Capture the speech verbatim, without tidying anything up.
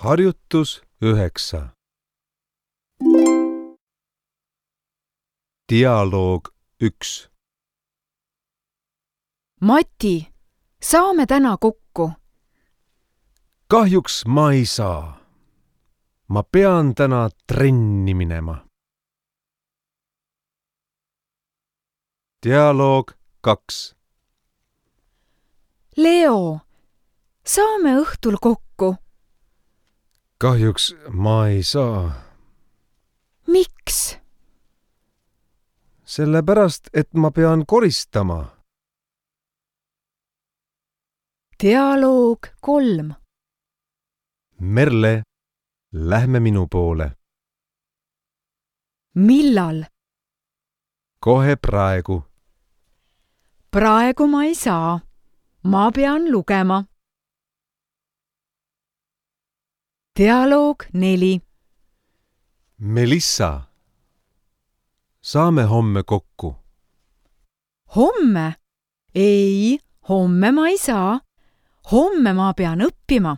Harjutus üheksa. Dialoog üks. Mati, saame täna kokku? Kahjuks ma ei saa. Ma pean täna trenni minema. Dialoog kaks. Leo, saame õhtul kokku? Kahjuks ma ei saa. Miks? Sellepärast, et ma pean koristama. Dialoog kolm. Merle, lähme minu poole. Millal? Kohe praegu. Praegu ma ei saa. Ma pean lugema. Dialoog neli. Melissa, saame homme kokku? Homme? Ei, homme ma ei saa. Homme ma pean õppima.